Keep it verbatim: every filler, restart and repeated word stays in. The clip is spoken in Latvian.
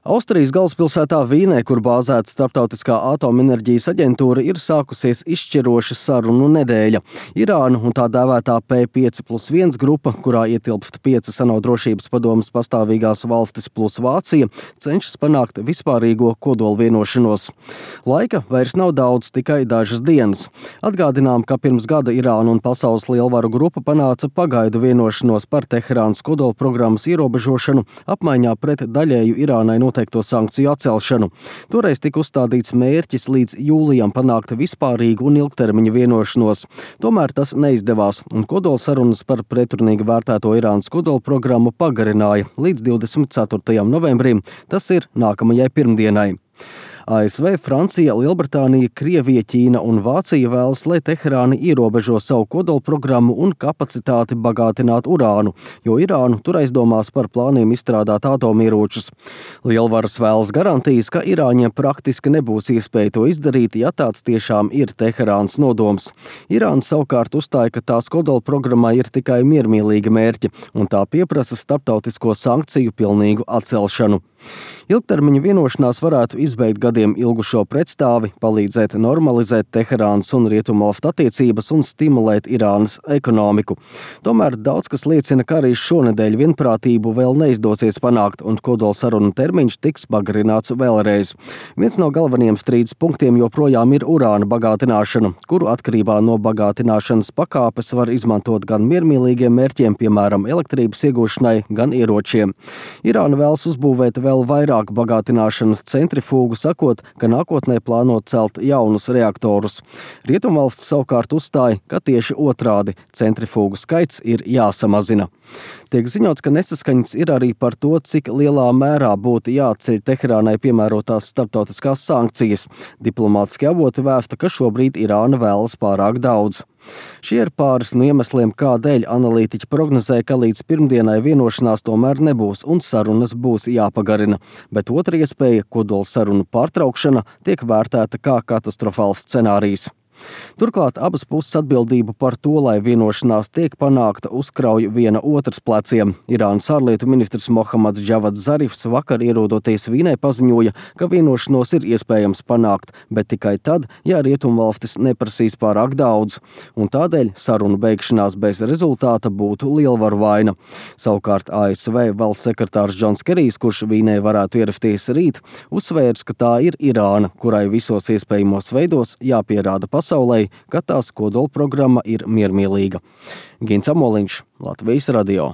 Austrijas galvaspilsētā Vīnē, kur bāzēta Starptautiskā atomenerģijas aģentūra, ir sākusies izšķiroša sarunu nedēļa. Irāna un tā dēvētā P pieci plus viens grupa, kurā ietilpst piecas ANO drošības padomes pastāvīgās valstis plus Vācija, cenšas panākt vispārīgo kodolvienošanos. Laika vairs nav daudz, tikai dažas dienas. Atgādinām, ka pirms gada Irāna un pasaules lielvaru grupa panāca pagaidu vienošanos par Teherānas kodolprogrammas ierobežošanu apmaiņā pret daļēju Irānai noteikto sankciju atcelšanu. Toreiz tika uzstādīts mērķis līdz jūlijam panākt vispārīgu un ilgtermiņa vienošanos. Tomēr tas neizdevās, un kodolsarunas par pretrunīgi vērtēto Irānas kodolprogrammu pagarināja līdz divdesmit ceturtajam novembrim, tas ir nākamajai pirmdienai. A S V, Francija, Lielbritānija, Krievija, Ķīna un Vācija vēlas, lai Teherāna ierobežo savu kodolprogrammu un kapacitāti bagātināt urānu, jo Irānu tur aizdomās par plāniem izstrādāt atomieročus. Lielvaras vēlas garantijas, ka Irāņiem praktiski nebūs iespēja to izdarīt, ja tāds tiešām ir Teherānas nodoms. Irāna savukārt uzstāja, ka tās kodolprogrammā ir tikai miermīlīgi mērķi, un tā pieprasa starptautisko sankciju pilnīgu atcelšanu. Ilgtermiņa vienošanās varētu izbeigt gadiem ilgušo pretstāvi, palīdzēt normalizēt Teherānas un Rietumvalstu attiecības un stimulēt Irānas ekonomiku. Tomēr daudz kas liecina, ka arī šonedēļ vienprātību vēl neizdosies panākt, un kodolsarunu termiņš tiks pagarināts vēlreiz. Viens no galvenajiem strīdus punktiem joprojām ir urāna bagātināšana, kuru atkarībā no bagātināšanas pakāpes var izmantot gan miermīlīgiem mērķiem, piemēram, elektrības iegūšanai, gan ieročiem. Irāna vēlas uzbūvēt vēl vairāk bagātināšanas centrifūgu, sakot, ka nākotnē plāno celt jaunus reaktorus. Rietumvalsts savukārt uzstāja, ka tieši otrādi centrifūgu skaits ir jāsamazina. Tiek ziņots, ka nesaskaņas ir arī par to, cik lielā mērā būtu jāatceļ Teherānai piemērotās starptautiskās sankcijas. Diplomātiski avoti vēsta, ka šobrīd Irāna vēlas pārāk daudz. Šie ir pāris no iemesliem, kādēļ analītiķi prognozē, ka līdz pirmdienai vienošanās tomēr nebūs un sarunas būs jāpagarina. Bet otra iespēja, kodola sarunu pārtraukšana, tiek vērtēta kā katastrofāls scenārijs. Turklāt abas puses atbildību par to, lai vienošanās tiek panākta, uzkrauj viena otras pleciem. Irānas ārlietu ministrs Mohammads Džavads Zarifs vakar ierodoties Vīnē paziņoja, ka vienošanos ir iespējams panākt, bet tikai tad, ja Rietumvalstis neprasīs pārāk daudz. Un tādēļ sarunu beigšanās bez rezultāta būtu lielvaru vaina. Savukārt A S V valsts sekretārs Džons Kerijs, kurš Vīnē varētu ierasties rīt, uzsvērs, ka tā ir Irāna, kurai visos iespējamos veidos jāpierāda pasaulē, ka tās kodolprogramma ir miermīlīga. Gins Amoliņš, Latvijas radio.